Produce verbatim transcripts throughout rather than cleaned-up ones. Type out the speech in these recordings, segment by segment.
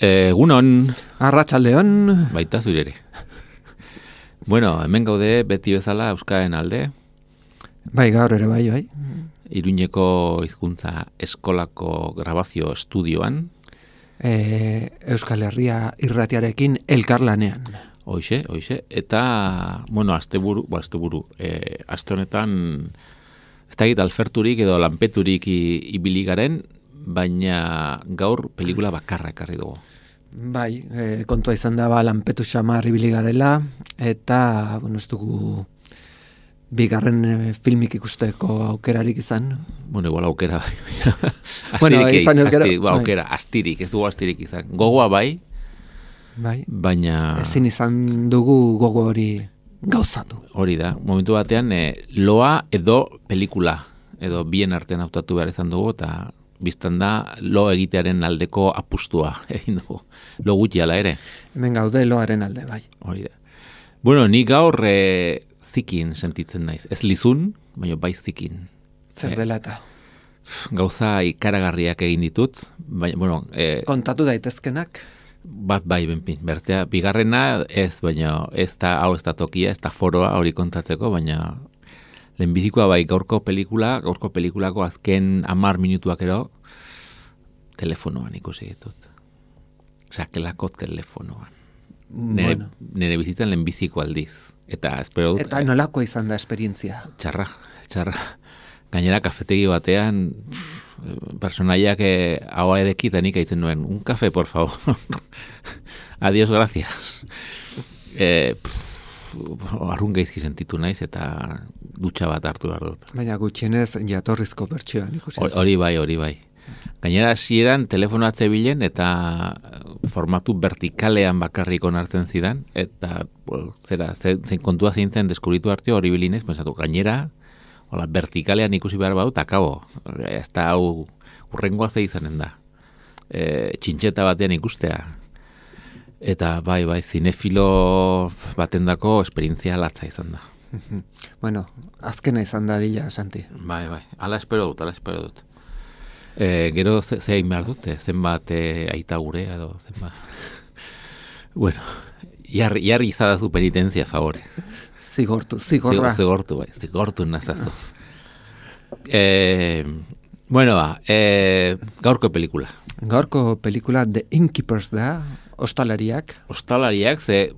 Egunon. Arratsaldeon. Baita zure ere. Bueno, hemen gaude beti bezala Euskaren alde. Bai, gaur ere bai, bai. Iruñeko hizkuntza eskolako grabazio estudioan. E, Euskal Herria irratiarekin elkarlanean. Hoixe, hoixe. Eta, bueno, asteburu, ba, asteburu, e, aste honetan, ez da egit alferturik edo lanpeturik ibili garen, baina gaur pelikula bakarra ekarri dugu. Bai, e, kontua izan da ba, lanpetu xamar ibili garela, eta, bueno, ez dugu bigarren e, filmik ikusteko aukerarik izan. Bueno, igual aukera bai. Bueno, izan ez gero. Asti, ba, aukera, astirik, ez dugu astirik izan. Gogoa bai, bai. Baina... Ezin izan dugu gogo hori gauzatu. Hori da, momentu batean e, loa edo pelikula, edo bien artean hautatu behar izan dugu, eta biztan da lo egitearen aldeko apustua egin dugu. Lo gutxi ala ere. Hemen gaude loaren alde, bai. Hori da. Bueno, ni gaur e, zikin sentitzen naiz. Ez lizun, baina bai zikin. Zer dela eta? Gauza ikaragarriak egin ditut. Baina, bueno, e, kontatu daitezkenak? Bat bai, benpin. Bertzea, bigarrena ez, baina ez da, hau ez da tokia, ez da foroa hori kontatzeko, baina lehenbizikoa bai gaurko pelikula, gaurko pelikulako azken hamar minutuak ero, telefonoan ikusi ditut. Sakelako telefonoan. Nere, Bueno. nere bizitzan lehenbiziko aldiz. Eta espero dut... Eta nolako izan da esperientzia? Txarra, txarra. Gainera kafetegi batean, personaiak eh, haua edeki eta nik aitzen nuen, un kafe, por favor. Adiós, gracias. Eh, arrun gaizki sentitu naiz eta dutxa bat hartu behar dut. Baina gutxienez jatorrizko bertsioan ikusi. Hori bai, hori bai. Gainera hasieran telefonoa zebilen eta formatu vertikalean bakarrik onartzen zidan, eta well, zera, zein kontua zeintzen deskubritu arte hori bilinez, pensatu, gainera, hola, vertikalean ikusi behar badut, akabo, ez da hau urrengoa ze izanen da. E, txintxeta batean ikustea. Eta bai, bai, zinefilo batendako esperientzia latza izan da. Bueno, azkena izan da dila, Santi. Bai, bai, ala espero dut, ala espero dut. E, gero ze, ze egin behar dute, zenbat e, aita gurea edo zenbat. Bueno, jarri, jarri izadazu penitentzia, favore. Zigortu, zigorra. Zigortu, bai, zigortu nazazu. E, bueno, ba, e, gaurko pelikula. Gaurko pelikula The Innkeepers da, ostalariak. Ostalariak, ze,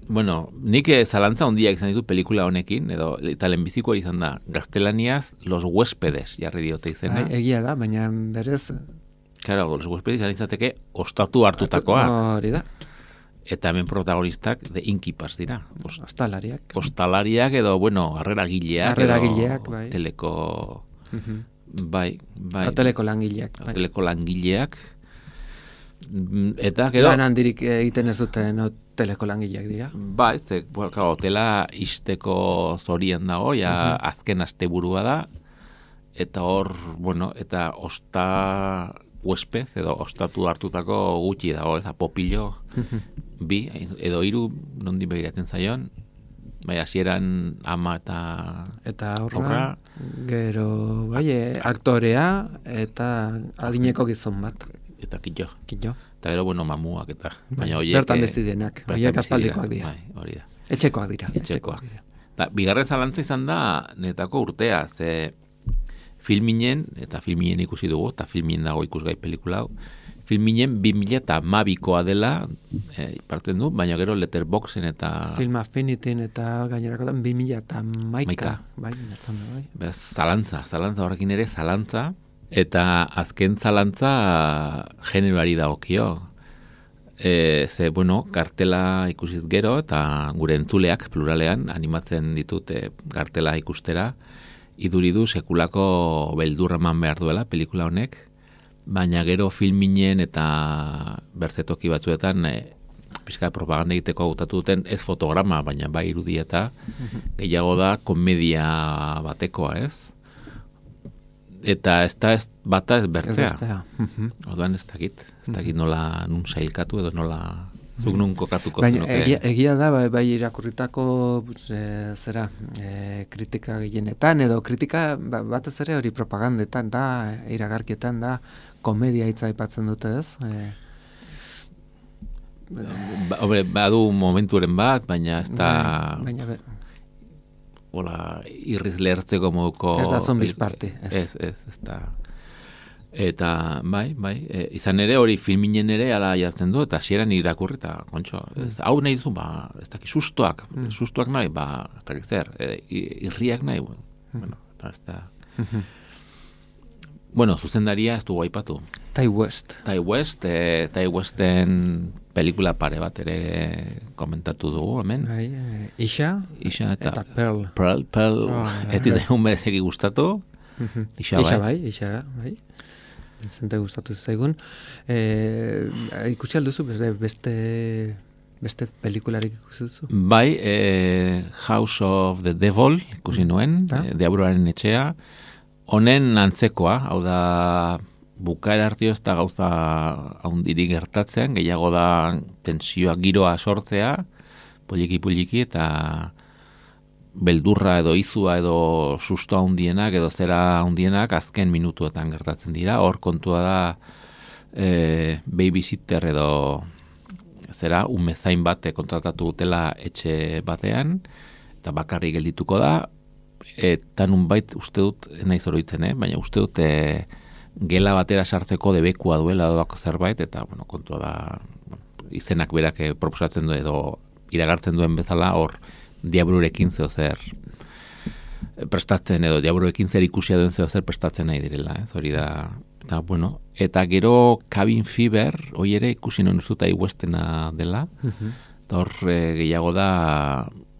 bueno, nik zalantza hondiak izan ditut pelikula honekin, edo eta lehenbiziko hori izan da, gaztelaniaz Los Huéspedes, jarri diote izena. Ba, egia da, baina berez... Claro, Los Huéspedes izan izateke ostatu hartutakoa. Hori da. Eta hemen protagonistak The Innkeepers dira. Ost, ostalariak. Ostalariak edo, bueno, harreragileak. Harreragileak, bai. Hoteleko... Uh-huh. Bai, bai. Hoteleko langileak. Bai. Hoteleko langileak. Eta, gero... Lan handirik egiten ez duten hoteleko langileak dira. Ba, ez, bueno, hotela isteko zorian dago, ja uh-huh. azken asteburua da, eta hor, bueno, eta osta huespez, edo ostatu hartutako gutxi dago, ez, popillo, uh-huh. bi, edo hiru nondi begiratzen zaion, bai, hasieran ama eta... Eta horra, gero, bai, aktorea, eta adineko gizon bat. Eta kitxo. Kitxo. Eta gero, bueno, mamuak eta... Bai, baina oiek, bertan dezidenak, oiek aspaldikoak dira. Bai, hori da. Etxekoak dira. Etxekoak dira. Da, bigarren zalantza izan da, netako urtea, ze filminen, eta filminen ikusi dugu, eta filminen dago ikusgai pelikula hau, filminen bi mila eta mabikoa dela, e, parten du, baina gero Letterboxen eta... Film Affinityn eta gainerakotan bi mila eta maika. Bai, nertan da, bai. Bez, zalantza, zalantza horrekin ere, zalantza, eta azken zalantza generoari dagokio. E, ze, bueno, kartela ikusiz gero, eta gure entzuleak pluralean animatzen ditut e, kartela ikustera, iduridu sekulako beldurra eman behar duela pelikula honek, baina gero filminen eta bertzetoki batzuetan e, pixka propaganda egiteko hautatu duten ez fotograma, baina bai irudieta, gehiago da komedia batekoa, ez? Eta ez da ez bata ez bertzea. Orduan ez dakit, ez dakit nola nun sailkatu edo nola zuk nun kokatuko. Baina egia, egia da, bai, bai irakurritako e, zera, e, kritika gehienetan, edo kritika batez ere hori propagandetan da, iragarkietan da, komedia hitza aipatzen dute ez? E, Ba, hombre, badu momenturen bat, baina ez da... Baina, baina hola, irriz lehertzeko moduko... Ez da zombies party. Ez, ez, ez, ez da... Eta, bai, bai, e, izan ere hori filminen ere ala jartzen du, eta hasieran irakurri, eta, kontxo, ez, hau nahi duzu, ba, ez daki sustoak, mm. sustoak nahi, ba, ez daki zer, e, irriak nahi, bueno, mm. bueno, eta ez da... Mm-hmm. Bueno, zuzendaria ez dugu aipatu. Ty West. Ty West, e, Ty Westen pelikula pare bat ere komentatu dugu, hemen. Bai, e, Isha, Isha eta, eta Pearl. Pearl, Pearl, oh, ez zaigun berezeki gustatu. Isha, Isha bai. bai, Isha bai. Zente gustatu zaigun. E, ikusi alduzu beste beste pelikularik ikusi duzu? Bai, e, House of the Devil ikusi nuen, mm. e, Diabloaren etxea. Honen antzekoa, hau da bukaera hartio ez da gauza haundirik gertatzen, gehiago da tensioa giroa sortzea, poliki-poliki eta beldurra edo izua edo susto handienak edo zera handienak azken minutuetan gertatzen dira. Hor kontua da e, babysitter edo zera umezain bat kontratatu dutela etxe batean eta bakarrik geldituko da. Eta nunbait uste dut, nahi zoroitzen, eh? baina uste dut e, gela batera sartzeko debekua duela doako zerbait, eta bueno, kontua da bueno, izenak berak proposatzen du edo iragartzen duen bezala, hor diabrurekin zeo zer prestatzen edo diabrurekin zer ikusia duen zeo zer prestatzen nahi direla, ez hori da, eta bueno, eta gero Cabin Fever, hoi ere ikusi non uste Ty Westena dela, uh-huh. eta hor e, gehiago da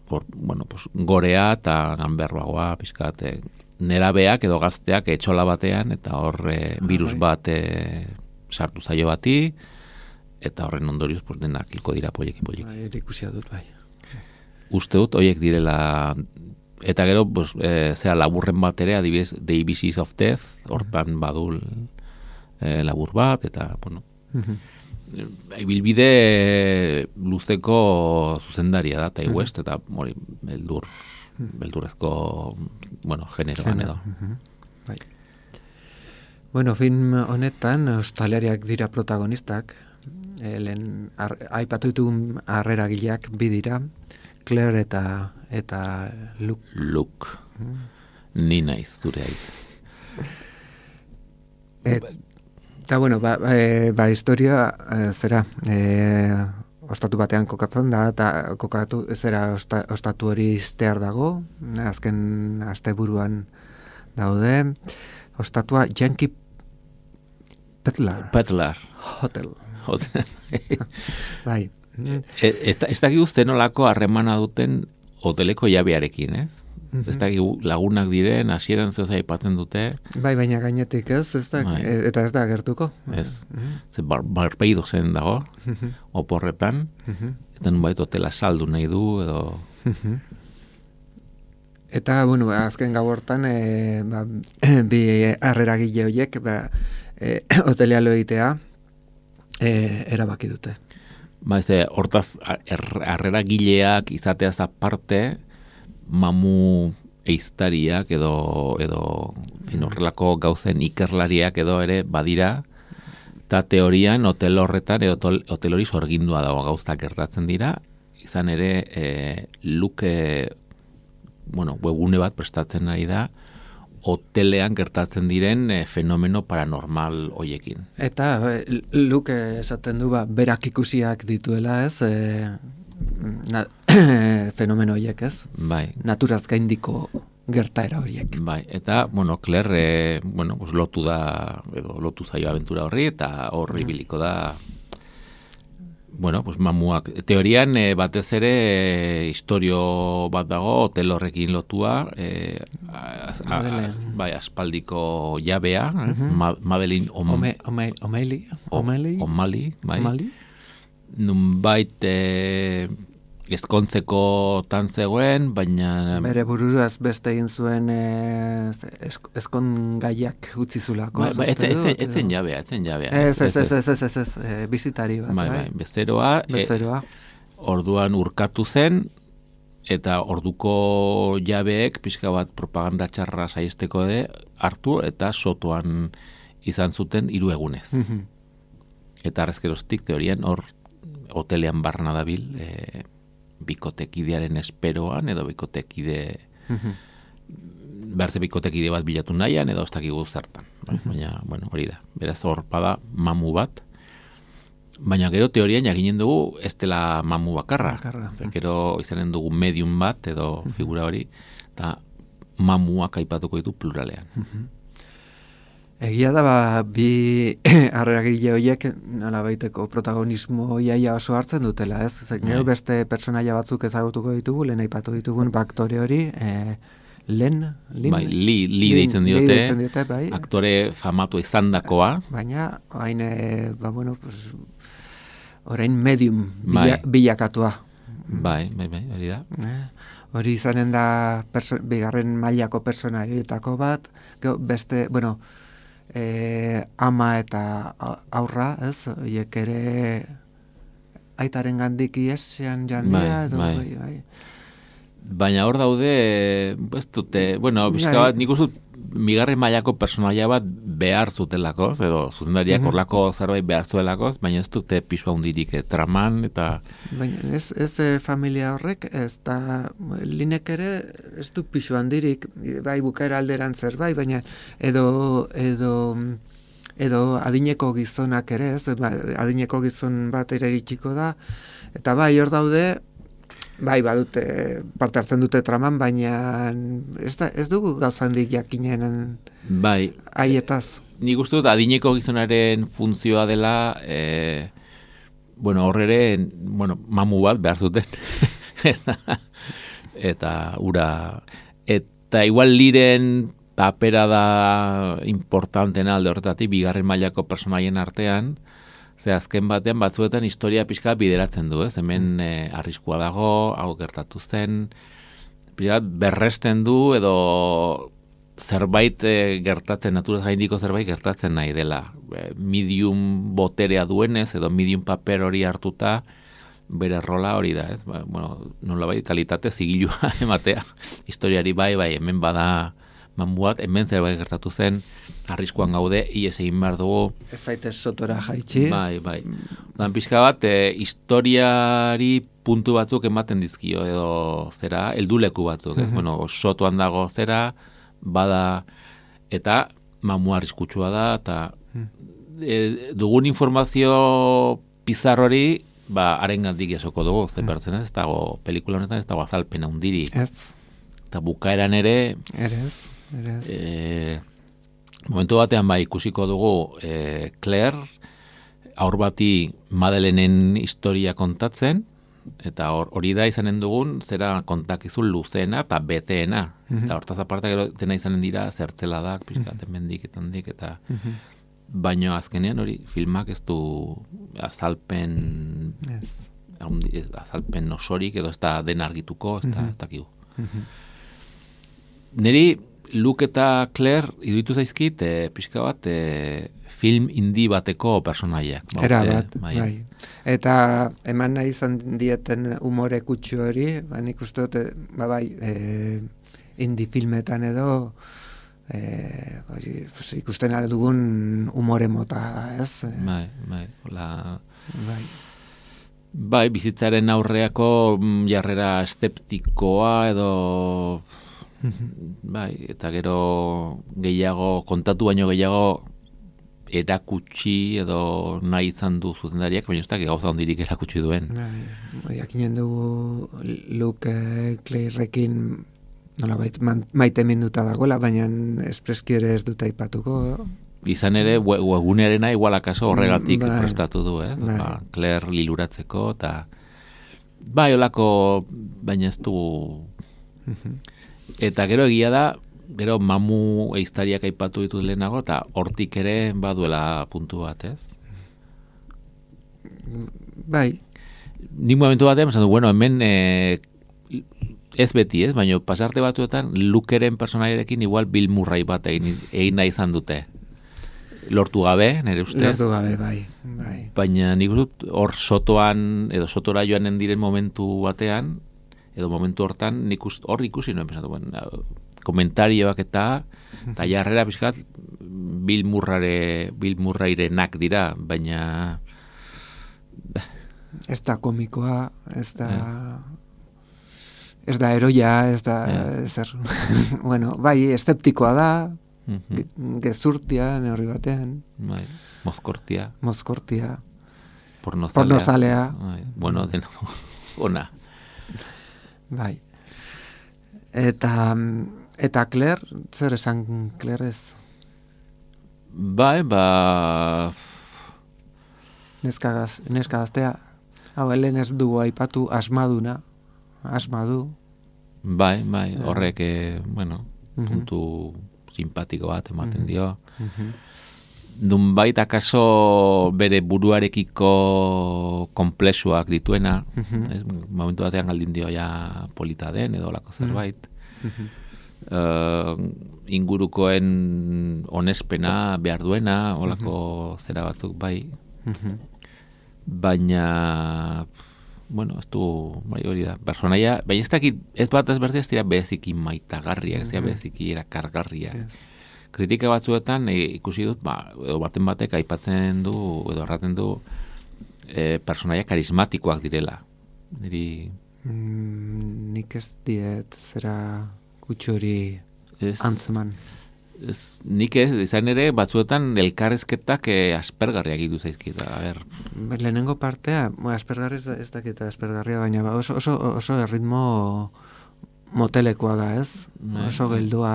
Por, bueno, pues, gorea eta ganberroagoa, pizkat, e, nerabeak edo gazteak etxola batean, eta hor e, virus bat e, sartu zaio bati, eta horren ondorioz pues, denak hilko dira poliki-poliki. Bai, ikusia dut, bai. Uste dut, horiek direla, eta gero, pues, e, zera, laburren bat ere, adibidez, The A B Cs of Death, hortan badul e, labur bat, eta, bueno... Uh-huh. Ibilbide luzeko zuzendaria da, Ty West, eta hori, beldur, beldurrezko, bueno, generoan edo. Bai. Bueno, film honetan, australiariak dira protagonistak, Elen, ar, aipatu ditugun harreragileak bi dira, Claire eta, eta Luke. Luke. Mm. Ni naiz, zure aita. Et, Eta, bueno, ba, e, ba historia, e, zera, e, ostatu batean kokatzen da, eta kokatu, zera, osta, ostatu hori iztear dago, azken asteburuan daude, ostatua Yankee Petlar. Petlar. Hotel. Hotel. Bai. E, ez, ez dakik uste nolako harremana duten hoteleko jabearekin, ez? Mm-hmm. Ez da lagunak diren, hasieran zeo aipatzen dute. Bai, baina gainetik ez, ez da, bai. Eta ez da gertuko. Ez, mm-hmm. Ze bar, barpeido zen dago, mm-hmm. oporretan, mm-hmm. eta nunbait hotela saldu nahi du, edo... Mm-hmm. Eta, bueno, azken gau hortan, e, ba, bi harreragile horiek, ba, e, hotelea lo egitea, e, erabaki dute. Ba, ez, hortaz, harreragileak izateaz aparte, mamu eiztariak edo edo fin horrelako gauzen ikerlariak edo ere badira, eta teorian hotel horretan edo hotel hori sorgindua dago gauztak gertatzen dira, izan ere e, Luke bueno, webgune bat prestatzen ari da hotelean gertatzen diren e, fenomeno paranormal hoiekin. Eta e, Luke esaten du ba, berak ikusiak dituela ez, e, na, fenomeno horiek ez? Bai. Naturaz gaindiko gertaera horiek. Bai, eta, bueno, Claire, e, bueno, pues, lotu da, edo lotu zaio abentura horri, eta horri biliko da, bueno, pues mamuak. Teorian e, batez ere e, historio bat dago, hotel horrekin lotua, e, az, a, a, bai, aspaldiko jabea, ez? Uh-huh. Ma, Madeline Om, Ome, ome, Omeli, Omeli, Omali, bai. Omali. Nunbait e, ezkontzeko tan zegoen, baina... Bere bururaz beste egin zuen e, ezkon gaiak utzi zulako. Ba, ba, etzen jabea, etzen jabea. Ez, ez, ez, ez, ez, ez, ez, e, bizitari bat. Bai, bai, bezeroa. Bezeroa. E, orduan urkatu zen, eta orduko jabeek, pixka bat propaganda txarra saizteko de, hartu, eta sotoan izan zuten hiru egunez. Mm-hmm. Eta arrezkeroztik teorian hor hotelean barna dabil, e, bikotekidearen esperoan, edo bikotekide uh-huh. berze bikotekide bat bilatu nahian, edo ez dakigu zertan. Uh-huh. Baina, bueno, hori da. Beraz hor bada mamu bat. Baina gero teorian jakinen dugu ez dela mamu bakarra. bakarra. Uh-huh. Gero izanen dugu medium bat, edo uh-huh. figura hori, eta mamuak aipatuko ditu pluralean. Uh-huh. Egia da, ba, bi harreragile horiek nola baiteko protagonismo iaia oso hartzen dutela, ez? Gero beste personaia batzuk ezagutuko ditugu, lehen aipatu ditugun aktore hori, e, Len, Lin, bai, li, li deitzen diote, li deitzen diote bai. Aktore famatu izandakoa. Baina, hain, e, ba, bueno, pues, orain medium bila, bai. bilakatua. Bai, bai, bai, hori da. Eh? Hori izanen da perso- bigarren mailako personaietako bat, gero beste, bueno, E, ama eta aurra, ez? Oiek ere aitaren gandik iesean jandia, bai, edo, bai. Bai, bai. Baina hor daude, ez dute, bueno, bizka bat, nik uste migarren mailako personaia bat behar zutelako, edo zuzendariak mm-hmm. horlako zerbait behar zuelako, baina ez dute pisua hundirik eh, traman, eta... Baina ez, ez eh, familia horrek, ez da, linek ere ez du pisu handirik, bai bukaera alderan zer, bai, baina edo, edo, edo adineko gizonak ere, ez, adineko gizon bat ere iritsiko da, eta bai hor daude, bai, badute, parte hartzen dute traman, baina ez, da, ez dugu gauzandik jakinen bai. Haietaz. Nik uste dut adineko gizonaren funtzioa dela, e, bueno, horrere, bueno, mamu bat behar zuten. eta, eta ura, eta igual liren papera da importantena alde horretatik, bigarren mailako personaien artean, ze azken batean batzuetan historia pixka bideratzen du, ez? Hemen e, arriskua dago, hau gertatu zen, pixka berresten du edo zerbait e, gertatzen, naturaz gaindiko zerbait gertatzen nahi dela. E, medium boterea duenez edo medium paper hori hartuta, bere rola hori da, ez? Ba, bueno, nolabait kalitate zigilua ematea. Historiari bai, bai, hemen bada mamuat, hemen zerbait gertatu zen, arriskuan gaude, ies egin behar dugu. Ez zaitez sotora jaitsi. Bai, bai. Dan pixka bat, e, historiari puntu batzuk ematen dizkio, edo zera, helduleku batzuk, ez? Mm-hmm. Bueno, sotoan dago zera, bada, eta mamu arriskutsua da, eta e, dugun informazio pizar hori, ba, arengandik esoko dugu, zen bertzen ez, ez dago, pelikula honetan ez dago azalpena hundirik. Ez. Eta bukaeran ere... Erez. E, momentu batean bai ikusiko dugu e, Claire aur bati Madelenen historia kontatzen, eta hori da izanen dugun zera kontakizun luzeena eta beteena. Mm-hmm. Eta hortaz aparte gero dena izanen dira zertzeladak, pixkaten mendik eta handik, eta mm-hmm. baino azkenean hori filmak ez du azalpen yes. azalpen osorik edo ez da den argituko, ez da mm-hmm. takigu. Mm-hmm. Neri Luke eta Claire iruditu zaizkit e, pixka bat e, film indi bateko personaiak. Era bat, e, bai. Eta eman nahi izan dieten umore kutsu hori, ba, nik uste dut, ba, bai, e, indi filmetan edo e, bai, pues, ikusten aldugun umore mota, ez? Bai, bai, hola... Bai. Bai, bizitzaren aurreako jarrera eszeptikoa edo... Bai, eta gero gehiago, kontatu baino gehiago erakutsi edo nahi izan du zuzendariak, baina ez da gauza hondirik erakutsi duen. Bai, jakinen dugu Luke Clairekin nolabait maite minduta dagoela, baina espreski ere ez dut aipatuko, izan ere, webgunearena igual akaso horregatik bai. prestatu du, eh? Bai. Ba, Claire liluratzeko, eta bai, olako, baina ez du... Eta gero egia da, gero mamu eiztariak aipatu ditut lehenago, eta hortik ere baduela puntu bat, ez? Bai. Ni momentu batean, esan du, bueno, hemen eh, ez beti, ez? Baina pasarte batuetan, Lukeren personaiarekin igual Bill Murray bat egin, egin nahi izan dute. Lortu gabe, nire ustez. Lortu gabe, bai. bai. Baina nik dut hor sotoan, edo sotora joanen diren momentu batean, edo momentu hortan, nik ust, hor ikusi nuen, pensatu, bueno, komentarioak eta, eta jarrera pixkat, Bill Murrayre, Bill Murrayrenak dira, baina... Ez da komikoa, ez da... Ez da eroia, ez da... Eh. Zer. Bueno, bai, eszeptikoa da, Mhm. ge- gezurtia, neurri batean, Bai, mozkortia, mozkortia, pornozalea. pornozalea, Bai, bueno, deno, ona. bai. Eta... Eta Claire, zer esan Claire ez? Bai, ba... Neska, gaz, neska gaztea, hau, helen ez dugu aipatu asmaduna, asmadu. Bai, bai, horrek, eh, bueno, Mhm. puntu simpatiko bat ematen dio. Mhm. Nunbait akaso bere buruarekiko konplexuak dituena, Mhm. ez, momentu batean galdin dio ja polita den edo lako zerbait. Mhm. Uh, ingurukoen onespena behar duena, olako zera batzuk bai, Mhm. baina bueno, ez du, bai hori da, personaia, baina ez dakit, ez bat ez berdi ez dira beziki maitagarriak, ez dira beziki erakargarriak. Yes. Kritika batzuetan e, ikusi dut, ba, edo baten batek aipatzen du, edo erraten du, e, personaia karismatikoak direla. Niri... Mm, nik ez diet zera kutxori Ez, antzeman. ez, nik ez, izan ere, batzuetan elkarrezketak e, aspergarriak idu zaizkit, a ber. Lehenengo partea, bueno, aspergarri ez, da- ez dakita aspergarria, baina ba, oso, oso, oso erritmo motelekoa da, ez? Bai, Oso bai. geldua,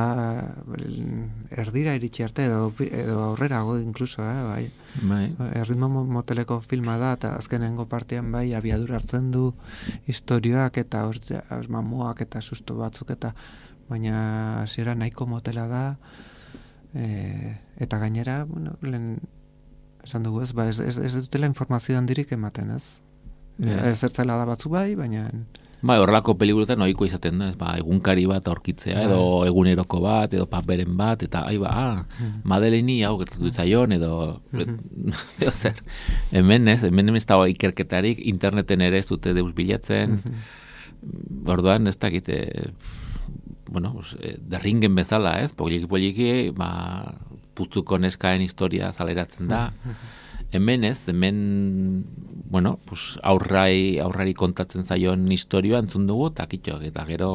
erdira iritsi arte, edo, edo aurrerago inkluso, eh, bai. Bai, Erritmo mo- moteleko filma da, eta azkenengo partean bai abiadura hartzen du historioak eta ostia, os, mamoak eta susto batzuk eta baina hasiera nahiko motela da, e, eta gainera, bueno, lehen esan dugu ez, ba, ez, ez, ez dutela informazio handirik ematen, ez? Ja. Ez zertzela da batzuk bai, baina bai, horrelako pelikuletan ohiko izaten da, ez, ba, egunkari bat aurkitzea, edo eguneroko bat, edo paperen bat, eta, ai ba, ah, Madeleini hau gertatu ditzaion, edo, edo zer. Hemen ez, hemen ez dago ikerketarik, interneten ere ez dute deus bilatzen, orduan ez dakite, bueno, pues, eh, derringen bezala, ez, poliki poliki, ba, putzuko neskaen historia zaleratzen da, hemen ez, hemen, bueno, pues, aurrai, aurrari kontatzen zaion historioa entzun dugu, eta kitxok, eta gero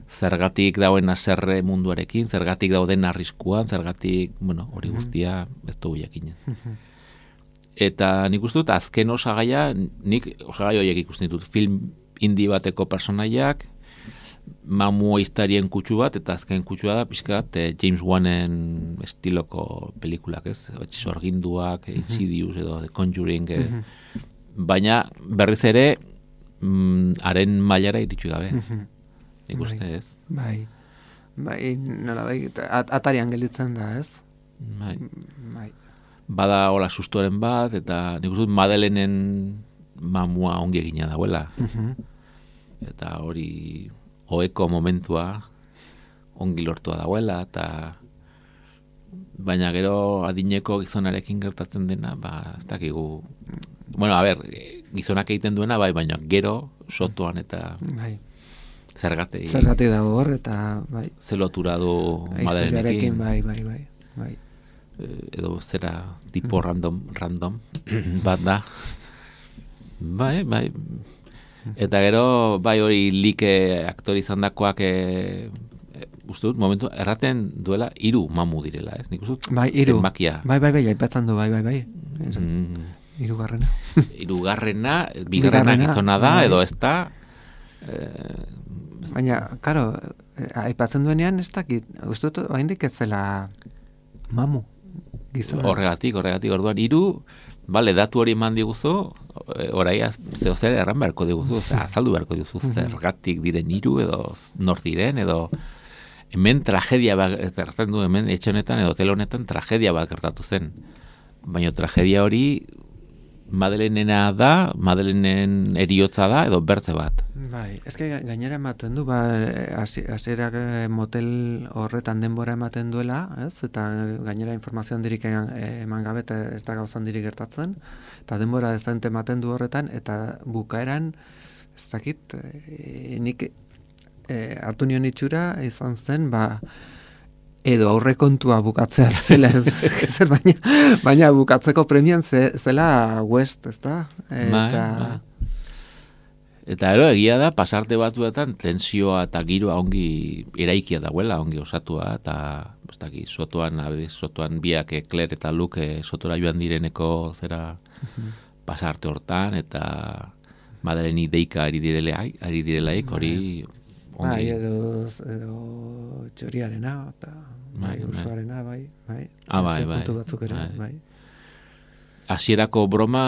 zergatik dauen aserre munduarekin, zergatik dauden arriskuan, zergatik, bueno, hori guztia ez dugu jakinen. Eta nik uste dut, azken osagaia, nik osagai horiek ikusten ditut, film indi bateko personaiak, mamu eiztarien kutsu bat, eta azken kutsua da, pixkat, eh, James Wanen estiloko pelikulak, ez? Sorginduak, Insidious edo The Conjuring, eh, baina berriz ere, mm, haren mailara iritsi gabe. Nik uste ez. bai, bai, nola bai, at, atarian gelditzen da, ez? Bai. Bai. Bada hola sustoren bat, eta nik uste dut Madelenen mamua ongi egina dauela. Eta hori oeko momentua ongi lortua dauela, eta baina gero adineko gizonarekin gertatzen dena, ba, ez dakigu, bueno, a ber, gizonak egiten duena, bai, baina gero sotoan eta Bai. zergatei, Zergatik dago hor, eta bai, ze lotura du historiarekin, Madelenekin, bai, bai, bai, bai. edo zera tipo random, random bat da. Bai, bai. Eta gero, bai hori like aktori izandakoak e, e, uste dut, momentu, erraten duela hiru mamu direla, ez? Nik uste dut, Bai, hiru. zenbakia. Bai, bai, bai, aipatzen du, bai, bai, bai. Mm, Hirugarrena. hirugarrena, bigarrena Bigarrena, gizona da, bai. edo ez da, eh, Baina, karo, aipatzen duenean ez dakit, uste dut, oraindik ez zela mamu gizona. Horregatik, horregatik, orduan, hiru, bale, datu hori eman diguzu, orai zeo zer erran beharko diguzu, ze, azaldu beharko diguzu, zergatik diren hiru edo nor diren, edo hemen tragedia bat gertatzen du, hemen etxe honetan edo hotel honetan tragedia bat gertatu zen. Baina tragedia hori Madelenena da, Madelenen eriotza da, edo bertze bat. Bai, eske gainera ematen du, ba, hasierak motel horretan denbora ematen duela, ez? Eta gainera informazio handirik eman gabe eta ez da gauza handirik gertatzen, eta denbora dezente ematen du horretan, eta bukaeran, ez dakit, e, nik e, hartu nion itxura izan zen, ba, edo aurrekontua bukatzea zela, zer, baina, baina bukatzeko premian ze, zela West, ez da? Eta... Ba, ba. Eta ero, egia da, pasarte batuetan tensioa eta giroa ongi eraikia dagoela, ongi osatua, eta ez daki, sotoan, abediz, sotoan biak, Claire eta Luke sotora joan direneko zera pasarte hortan, eta Madeleni deika ari direlaik, ari direlaik, hori... Bai, edo, edo txoriarena, eta bai, usuarena, bai, bai. Ah, bai, bai. Puntu batzuk ere, bai. Hasierako broma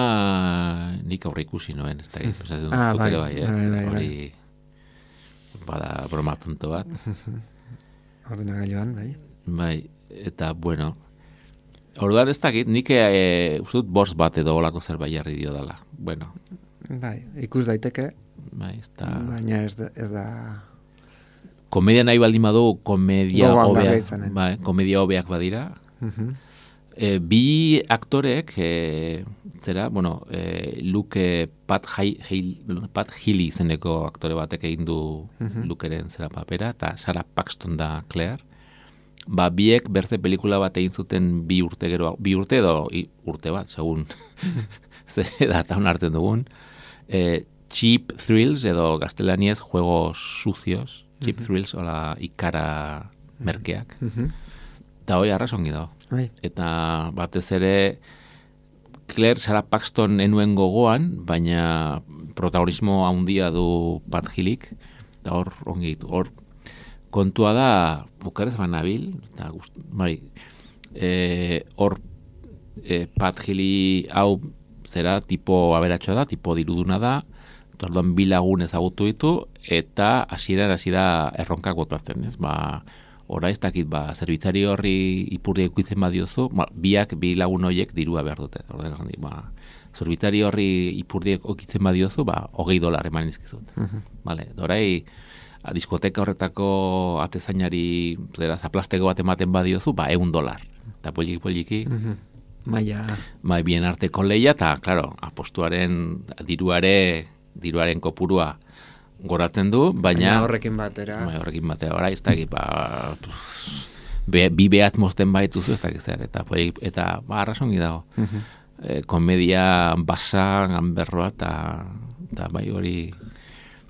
nik aurre ikusi noen, ez da, ah, bai, bai, eh? bai, bai, hori, bada broma tonto bat. Ordenagailuan, bai. Bai, eta, bueno, orduan ez dakit, nik e, uste dut bost bat edo olako zerbait jarri dio dela. Bueno. Bai, ikus daiteke, bai, ez da... baina ez da... Ez da... Komedia nahi baldin badu, komedia hobeak, bai, komedia hobeak badira. Uh-huh. E, bi aktorek, e, zera, bueno, e, Luke Pat, Pat Healy izeneko aktore batek egin du uh-huh. Lukeren zera papera, eta Sarah Paxton da Claire. Ba, biek berze pelikula bat egin zuten bi urte gero, bi urte edo i, urte bat, segun ze datan hartzen dugun. E, Cheap Thrills edo gaztelaniez juegos sucios, Cheap uh-huh. Thrills, hola ikara merkeak. Uh-huh. Eta hoi arrasongi dago. Bai. Eta batez ere Claire Sarah Paxton enuen gogoan, baina protagonismo handia du Pat Healyk, eta hor ongi ditu. Hor kontua da, bukarez banabil, eta gust, bai, e, hor e, Pat Healy hau zera tipo aberatxoa da, tipo diruduna da, orduan bi lagun ezagutu ditu, eta hasieran hasi da erronkak botatzen, ez? Ba, ora ez dakit, ba, zerbitzari horri ipurdi ikuitzen badiozu, ba, biak, bi lagun horiek dirua behar dute. Orduan, ba, zerbitzari horri ipurdi ikuitzen badiozu, ba, hogei dolar eman izkizut. Uh-huh. Vale, dorai, a, diskoteka horretako atezainari, zera, zaplasteko bat ematen badiozu, ba, egun dolar. Eta poliki, poliki. Uh-huh. Maia. Bai, bien arteko leia, eta, klaro, apostuaren diruare, diruaren kopurua goratzen du, baina... Baina horrekin batera. Baina horrekin batera, ora, ez dakit, ba... Be, bi behat mozten baituzu, ez dakit zer, eta, eta ba, arrasongi dago. Uh-huh. E, komedia basa, ganberroa, eta, eta bai hori...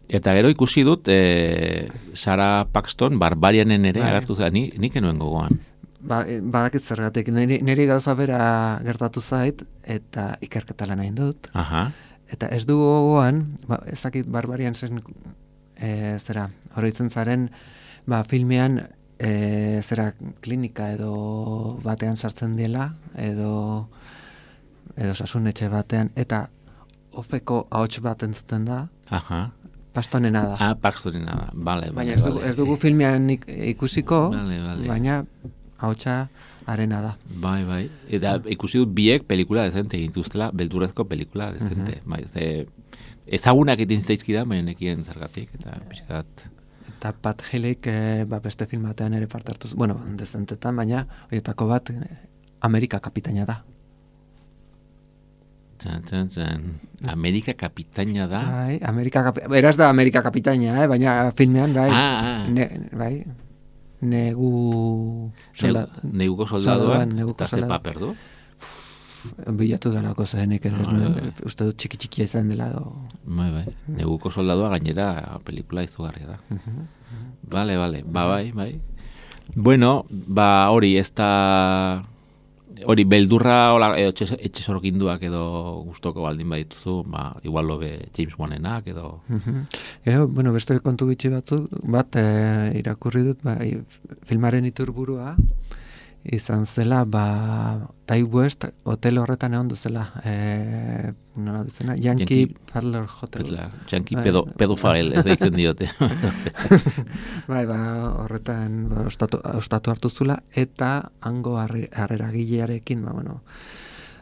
Eta gero ikusi dut, e, Sarah Paxton, Barbarianen ere, bai. Agertu zera, ni, nik enuen gogoan. Ba, badakit zergatik, niri, niri gauza bera gertatu zait, eta ikerketa lan egin dut. Aha. Eta ez du gogoan, ba, ezakit Barbarian zen, e, zera, horitzen zaren, ba, filmean, e, zera, klinika edo batean sartzen dela, edo, edo sasunetxe batean, eta ofeko ahots bat entzuten da, aha. Pastonena da. Ah, Paxtonena da, bale, bale. Baina ez dugu, vale. ez dugu filmean ikusiko, vale, vale. baina ahotsa arena da. Bai, bai. Eta ikusi dut biek pelikula dezente egintuztela, beldurrezko pelikula dezente. Uh-huh. Bai, ze, ezagunak egin zaizkida, baina nekien zergatik, eta pixkat... Eta Pat Healyk eh, ba, beste filmatean ere parte hartuz, bueno, dezentetan, baina horietako bat Amerika kapitaina da. Txan, txan, txan. Amerika kapitaina da? Bai, Amerika kapitaina, eraz da Amerika kapitaina, eh? Baina filmean, bai, ah, ah. Ne, bai, negu... Solda, ne, neguko soldaduan, eta ze paper du? Bilatu delako zenik, ah, nuen, bai. Uste dut txiki txikia izan dela. Do... Bai, bai, neguko soldadua gainera pelikula izugarria da. Uh-huh, uh-huh. Vale, vale, ba, bai, bai. Bueno, ba, hori, ez da... Hori, beldurra hola, edo etxe sorginduak edo gustoko baldin badituzu, ba, igual lobe James Wanenak edo... Uh-huh. Edo, bueno, beste kontu bitxi batzu, bat e, irakurri dut, ba, filmaren iturburua, izan zela, ba, Tai West hotel horretan egon duzela, e, nola duzena, Yankee, Yankee Peddler Hotel. Peddler, Yankee pedo, pedofile, ez deitzen diote. Bai, ba, horretan ba, ostatu, ostatu hartu zula, eta hango harreragilearekin, ba, bueno,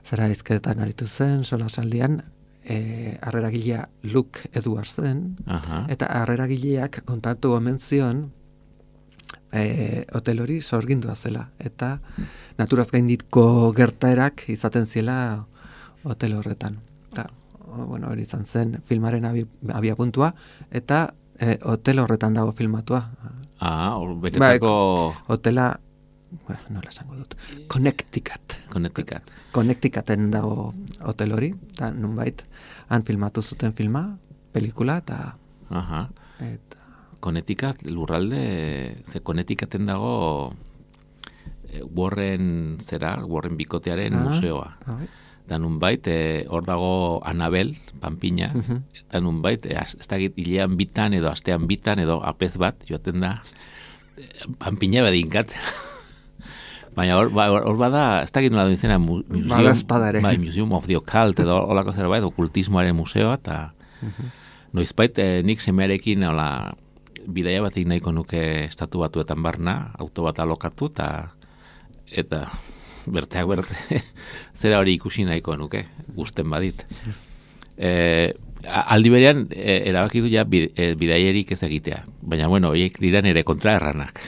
zera izketan aritu zen, sola saldian, e, harreragilea Luke Edwards zen, Aha. eta harreragileak kontatu omen zion, E, hotel hori sorgindua zela eta naturaz gaindiko gertaerak izaten ziela hotel horretan eta, bueno, hori izan zen filmaren abi, abia puntua eta e, hotel horretan dago filmatua ah, beretako ba, hotela ba, nola esango dut Connecticut Connecticut Connecticuten dago hotel hori eta nunbait han filmatu zuten filma pelikula eta aha eta Connecticut lurralde, ze Connecticuten dago e, Warren zera, Warren bikotearen ah, museoa. Ah, da nunbait, e, hor dago Anabel, panpina, uh-huh. eta nunbait, e, ez da hilean bitan edo astean bitan edo apez bat, joaten da, e, panpina badinkatzen. Baina hor, ba, hor bada, ez da gitu nola izena, museum, bai, Museum of the Occult edo holako zerbait, okultismoaren museoa, eta uh-huh. noizbait, e, nik semearekin, hola, bidaia bat egin nahiko nuke estatu batuetan barna, auto bat alokatu, eta eta berteak berte, zera hori ikusi nahiko nuke, gusten badit. E, aldi berean, e, erabaki du ja bidaierik ez egitea, baina bueno, horiek dira nire kontraerranak.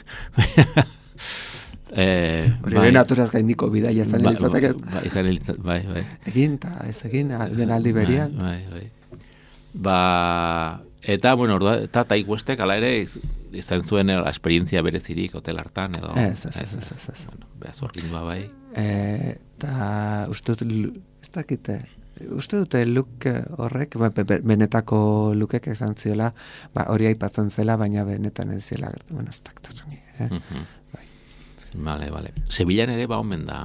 e, hori bai, naturaz gaindiko bidaia zan ba, elizatek ez? Ba, izan elizatek, bai, bai. Egin, eta ez egin, den aldi berean. Bai, bai, bai. Ba... Eta, bueno, eta Tai Westek, ala ere, izan zuen esperientzia berezirik hotel hartan, edo... Ez, ez, ez, ez, ez. Bueno, behaz orgindua bai. Eta, uste dut, ez dakite, uste dute Luke horrek, ba, benetako Lukek esan ziola, ba, hori aipatzen zela, baina benetan ez zela, bueno, ez dakitasungi, eh? Uh-huh. Bai. Vale, vale. Sevillan ere ba omen da,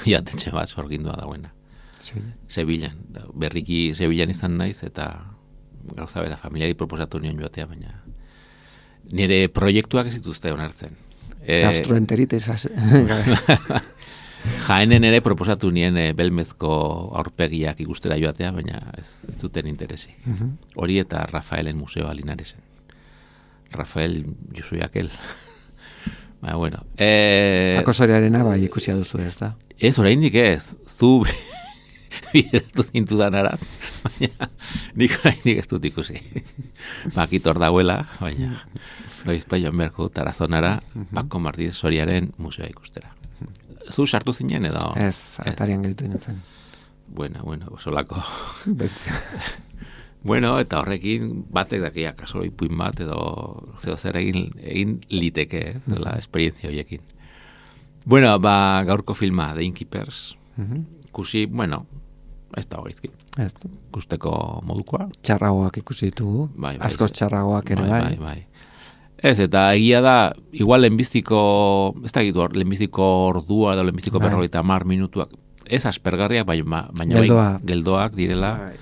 jatetxe bat orgindua dagoena. Sevillan? Sevillan. Berriki Sevillan izan naiz, eta... gauza bera, familiari proposatu nion joatea, baina nire proiektuak ez dituzte onartzen. E... Gastroenteritis. Jaenen ere proposatu nien e, belmezko aurpegiak ikustera joatea, baina ez, ez duten interesik. Uh-huh. Hori eta Rafaelen museoa Linaresen. Rafael, jo soy aquel. Baina, bueno. E... Akosoriarena bai ikusia duzu ez da? Ez, oraindik ez. Zu... bideratu zintudan arat, baina nik oraindik ez dut ikusi. Bakitor dagoela, baina noiz joan beharko dut Tarazonara, Paco Martínez Soriaren museoa ikustera. Zu sartu zinen edo? Ez, atarian gelditu nintzen. Bueno, bueno, solako. Bueno, eta horrekin batek dakia kasoro ipuin bat edo zeo zer egin, egin liteke, eh, la esperientzia horiekin. Bueno, ba, gaurko filma, The Innkeepers, ikusi, bueno, ez da horizki. Ez. Ikusteko modukoa. Txarragoak ikusi ditugu. Bai, bai, askoz txarragoak ere bai. Bai, bai. Ez, eta egia da, igual lehenbiziko, ez da gitu, lehenbiziko ordua edo lehenbiziko bai. berrogeita hamar minutuak, ez aspergarriak, baina, baina Geldoa. bai, geldoak direla. Bai.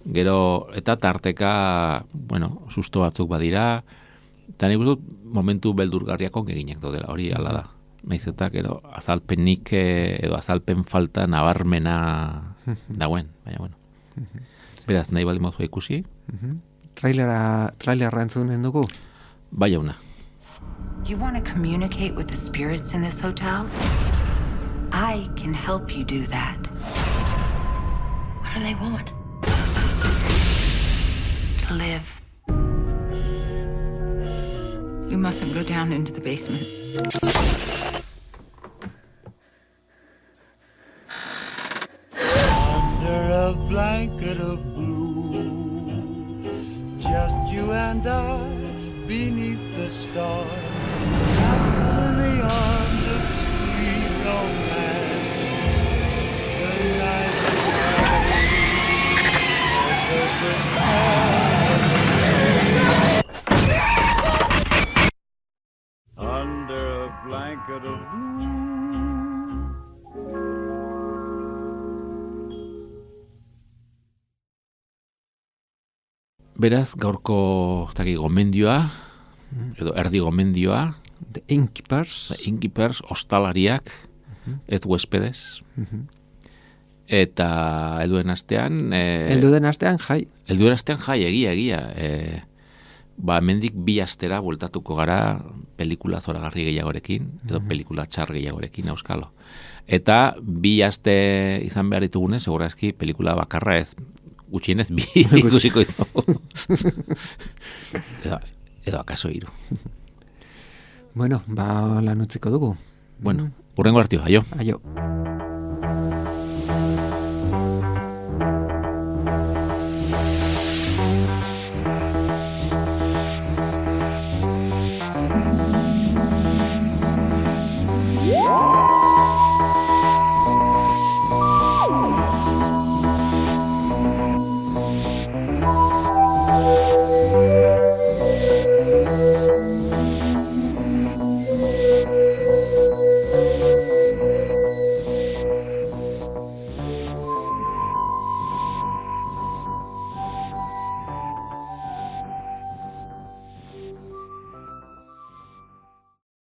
Gero, eta tarteka, bueno, susto batzuk badira, eta nik dut momentu beldurgarriak ongeginak daudela, hori ala da. Naiz eta gero azalpenik edo azalpen falta nabarmena dagoen, baina bueno. Beraz, nahi baldin mozu ikusi. Trailera, trailera entzunen dugu? Bai, jauna. You want to communicate with the spirits in this hotel? I can help you do that. What do they want? To live. You mustn't go down into the basement. Under a blanket of blue, just you and I beneath the stars, in the arms of sweet romance. The night is under a blanket of blue. Beraz, gaurko taki gomendioa, edo erdi gomendioa, The Innkeepers. The Innkeepers, ostalariak, ez huespedes. Eta helduen astean... Eh, helduen astean jai. Helduen astean jai, egia, egia. Eh, ba, mendik bi astera bueltatuko gara pelikula zoragarri gehiagorekin, edo pelikula txar gehiagorekin, euskalo. Eta bi aste izan behar ditugunez, segurazki pelikula bakarra ez, gutxienez bi ikusiko izago. edo, edo akaso hiru. Bueno, ba lan utziko dugu. Bueno, urrengo hartio, aio. Aio.